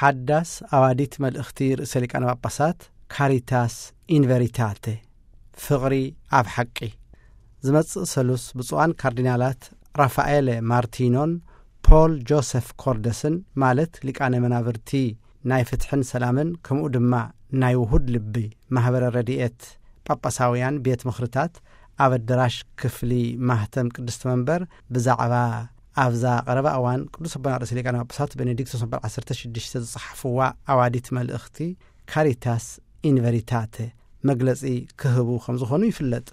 ሓዳስ ኣዋዲት መልእኽቲ ርእሰ ሊቃነ ጳጳሳት ካሪታስ ኢንቨሪታተ፣ ፍቕሪ ኣብ ሓቂ። ዝመጽእ ሰሉስ ብፁዓን ካርዲናላት ራፋኤለ ማርቲኖን ፖል ጆሰፍ ኮርደስን፣ ማለት ሊቃነ መናብርቲ ናይ ፍትሕን ሰላምን ከምኡ ድማ ናይ ውሁድ ልቢ ማህበረ ረድኤት ጳጳሳውያን ቤት ምኽርታት፣ ኣብ ኣደራሽ ክፍሊ ማህተም ቅድስቲ መንበር ብዛዕባ ኣብዛ ቀረባ እዋን ቅዱስ ኣቦና ርእሰ ሊቃነ ጳጳሳት ቤኔዲክቶስ መበል ዓሰርተ ሽዱሽተ ዝጸሓፍዋ ኣዋዲት መልእኽቲ ካሪታስ ኢንቨሪታተ መግለጺ ክህቡ ከም ዝኾኑ ይፍለጥ።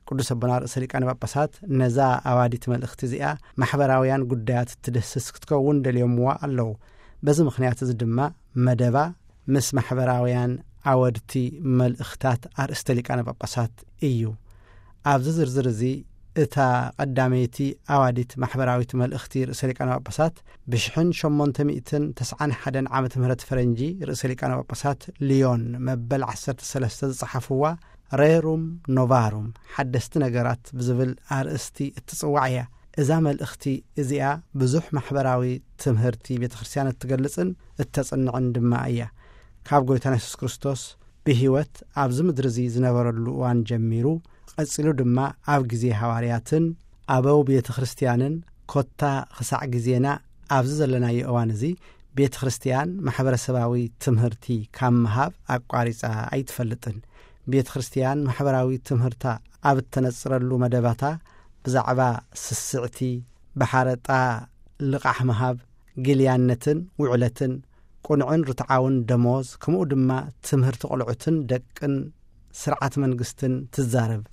ቅዱስ ኣቦና ርእሰ ሊቃነ ጳጳሳት ነዛ ኣዋዲት መልእኽቲ እዚኣ ማሕበራውያን ጉዳያት እትድህስስ ክትከውን ደልዮምዋ ኣለዉ። በዚ ምኽንያት እዚ ድማ መደባ ምስ ማሕበራውያን ኣወድቲ መልእኽታት ኣርእስተ ሊቃነ ጳጳሳት እዩ። ኣብዚ ዝርዝር እዚ እታ ቀዳመይቲ ኣዋዲት ማሕበራዊት መልእኽቲ ርእሰ ሊቃነ ጳጳሳት ብሽሕን ሸሞንተ ሚእትን ተስዓን ሓደን ዓመተ ምህረት ፈረንጂ ርእሰ ሊቃነ ጳጳሳት ሊዮን መበል ዓሰርተ ሰለስተ ዝጸሓፍዋ ሬሩም ኖቫሩም ሓደስቲ ነገራት ብዝብል ኣርእስቲ እትጽዋዕ እያ። እዛ መልእኽቲ እዚኣ ብዙሕ ማሕበራዊ ትምህርቲ ቤተ ክርስቲያን እትገልጽን እተጽንዕን ድማ እያ። ካብ ጎይታና የሱስ ክርስቶስ ብህይወት ኣብዚ ምድሪ እዚ ዝነበረሉ እዋን ጀሚሩ፣ ቀጺሉ ድማ ኣብ ግዜ ሃዋርያትን ኣበው ቤተ ክርስቲያንን፣ ኮታ ክሳዕ ግዜና ኣብዚ ዘለናዮ እዋን እዚ ቤተ ክርስቲያን ማሕበረሰባዊ ትምህርቲ ካብ ምሃብ ኣቋሪጻ ኣይትፈልጥን። ቤተ ክርስቲያን ማሕበራዊ ትምህርታ ኣብ እተነጽረሉ መደባታ ብዛዕባ ስስዕቲ፣ ብሓረጣ ልቓሕ ምሃብ፣ ግልያነትን ውዕለትን፣ ቁኑዕን ርትዓውን ደሞዝ፣ ከምኡ ድማ ትምህርቲ ቆልዑትን ደቅን ስርዓት መንግስትን ትዛረብ፣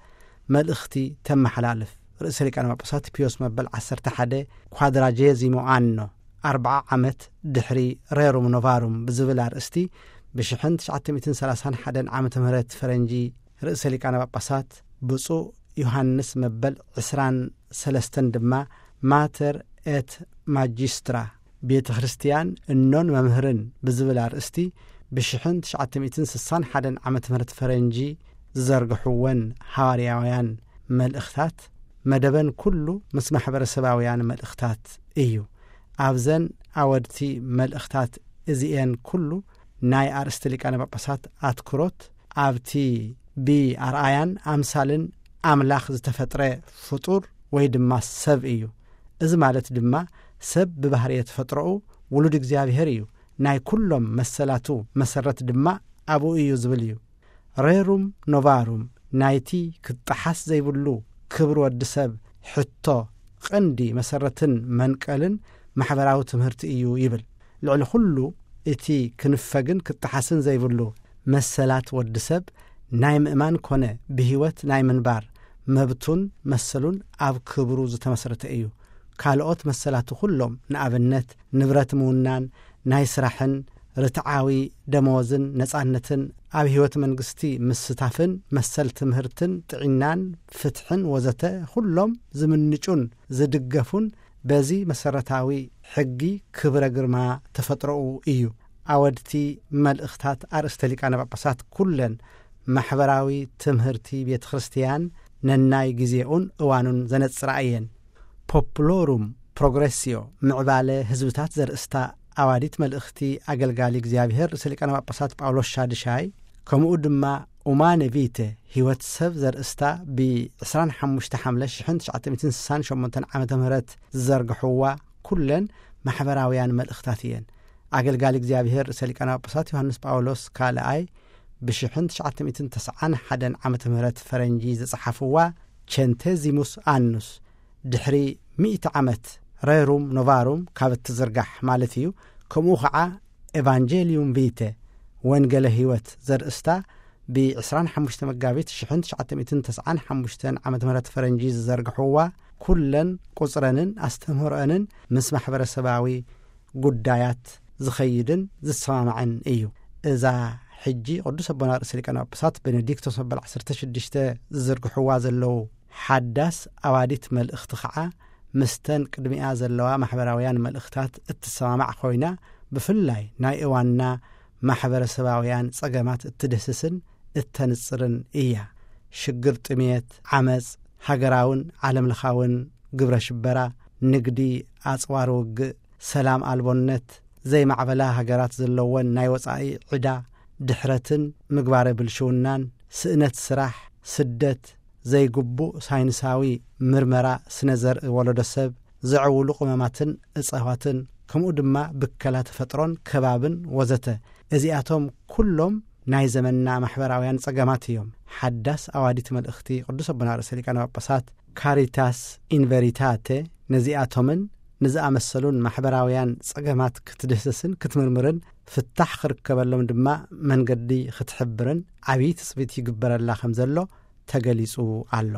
መልእኽቲ ተመሓላልፍ። ርእሰ ሊቃነ ጳጳሳት ፒዮስ መበል ዓሰርተ ሓደ ኳድራጄዚሞ ኣኖ፣ ኣርብዓ ዓመት ድሕሪ ሬሩም ኖቫሩም ብዝብል ኣርእስቲ ብሽሕን ትሽዓተ ሚእትን ሰላሳን ሓደን ዓመተ ምህረት ፈረንጂ ርእሰ ሊቃነ ጳጳሳት ብፁዕ ዮሃንስ መበል ዕስራን ሰለስተን ድማ ማተር ኤት ማጂስትራ፣ ቤተ ክርስቲያን እኖን መምህርን ብዝብል ኣርእስቲ ብሽሕን ትሽዓተ ሚእትን ስሳን ሓደን ዓመተ ምህረት ፈረንጂ ዝዘርግሕወን ሃዋርያውያን መልእኽታት መደበን ኩሉ ምስ ማሕበረሰባውያን መልእኽታት እዩ። ኣብዘን ኣወድቲ መልእኽታት እዚኤን ኩሉ ናይ ኣርእስቲ ሊቃነ ጳጳሳት ኣትኩሮት ኣብቲ ብኣርኣያን ኣምሳልን ኣምላኽ ዝተፈጥረ ፍጡር ወይ ድማ ሰብ እዩ። እዚ ማለት ድማ ሰብ ብባህርየ ተፈጥሮኡ ውሉድ እግዚኣብሔር እዩ፣ ናይ ኩሎም መሰላቱ መሰረት ድማ ኣብኡ እዩ ዝብል እዩ። ሬሩም ኖቫሩም ናይቲ ክጠሓስ ዘይብሉ ክብሪ ወዲ ሰብ ሕቶ ቀንዲ መሰረትን መንቀልን ማሕበራዊ ትምህርቲ እዩ ይብል። ልዕሊ ኩሉ እቲ ክንፈግን ክጠሓስን ዘይብሉ መሰላት ወዲ ሰብ ናይ ምእማን ኮነ ብህይወት ናይ ምንባር መብቱን መሰሉን ኣብ ክብሩ ዝተመስረተ እዩ። ካልኦት መሰላቱ ኩሎም፣ ንኣብነት ንብረት ምውናን፣ ናይ ስራሕን ርትዓዊ ደመወዝን ነጻነትን፣ ኣብ ህይወት መንግስቲ ምስታፍን መሰል ትምህርትን ጥዒናን ፍትሕን ወዘተ፣ ኩሎም ዝምንጩን ዝድገፉን በዚ መሰረታዊ ሕጊ ክብረ ግርማ ተፈጥሮኡ እዩ። ኣወድቲ መልእኽታት ኣርእስተ ሊቃነ ጳጳሳት ኩለን ማሕበራዊ ትምህርቲ ቤተ ክርስቲያን ነናይ ግዜኡን እዋኑን ዘነጽራ እየን። ፖፕሎሩም ፕሮግሬሲዮ፣ ምዕባለ ህዝብታት ዘርእስታ ኣዋዲት መልእኽቲ ኣገልጋሊ እግዚኣብሔር ርእሰ ሊቃነ ጳጳሳት ጳውሎስ ሻድሻይ፣ ከምኡ ድማ ኡማነ ቪተ፣ ህይወት ሰብ ዘርእስታ ብ ዕስራን ሓሙሽተ ሓምለ ሽሕን ትሽዓተ ሚእትን ስሳን ሸሞንተን ዓመተ ምህረት ዝዘርግሕዋ ኩለን ማሕበራውያን መልእኽታት እየን። ኣገልጋሊ እግዚኣብሔር ርእሰ ሊቃነ ጳጳሳት ዮሃንስ ጳውሎስ ካልኣይ ብሽሕን ትሽዓተ ሚእትን ተስዓን ሓደን ዓመተ ምህረት ፈረንጂ ዝጸሓፍዋ ቸንቴዚሙስ ኣኑስ፣ ድሕሪ ሚእቲ ዓመት ሬሩም ኖቫሩም ካብ እትዝርጋሕ ማለት እዩ። ከምኡ ኸዓ ኤቫንጀሊዩም ቪተ፣ ወንጌለ ህይወት ዘርእስታ ብ ዕስራን ሓሙሽተ መጋቢት ሽሕን ትሽዓተ ሚእትን ተስዓን ሓሙሽተን ዓመተ ምህረት ፈረንጂ ዝዘርግሕዋ ኩለን ቁጽረንን ኣስተምህሮአንን ምስ ማሕበረሰባዊ ጉዳያት ዝኸይድን ዝሰማማዕን እዩ። እዛ ሕጂ ቅዱስ ኣቦና ርእሰ ሊቃነ ጳጳሳት ቤኔዲክቶስ መበል ዓሰርተ ሽዱሽተ ዝዝርግሕዋ ዘለዉ ሓዳስ ኣዋዲት መልእኽቲ ኸዓ ምስተን ቅድሚኣ ዘለዋ ማሕበራውያን መልእኽታት እትሰማማዕ ኮይና፣ ብፍላይ ናይ እዋንና ማሕበረሰባውያን ጸገማት እትድህስስን እተንጽርን እያ። ሽግር ጥሜት፣ ዓመጽ፣ ሃገራውን ዓለምለኻውን ግብረ ሽበራ፣ ንግዲ ኣጽዋር ውግእ፣ ሰላም ኣልቦነት፣ ዘይማዕበላ ሃገራት ዘለወን ናይ ወጻኢ ዕዳ፣ ድሕረትን ምግባረ ብልሽውናን፣ ስእነት ስራሕ፣ ስደት፣ ዘይግቡእ ሳይንሳዊ ምርመራ ስነ ዘርኢ ወለዶ ሰብ፣ ዘዕውሉ ቅመማትን እጸዋትን፣ ከምኡ ድማ ብከላ ተፈጥሮን ከባብን ወዘተ። እዚኣቶም ኩሎም ናይ ዘመንና ማሕበራውያን ጸገማት እዮም። ሓዳስ ኣዋዲት መልእኽቲ ቅዱስ ኣቦና ርእሰ ሊቃነ ጳጳሳት ካሪታስ ኢንቨሪታተ ነዚኣቶምን ንዝኣመሰሉን ማሕበራውያን ጸገማት ክትድህስስን ክትምርምርን ፍታሕ ክርከበሎም ድማ መንገዲ ክትሕብርን ዓብዪ ትጽቢት ይግበረላ ከም ዘሎ ተገሊጹ ኣሎ።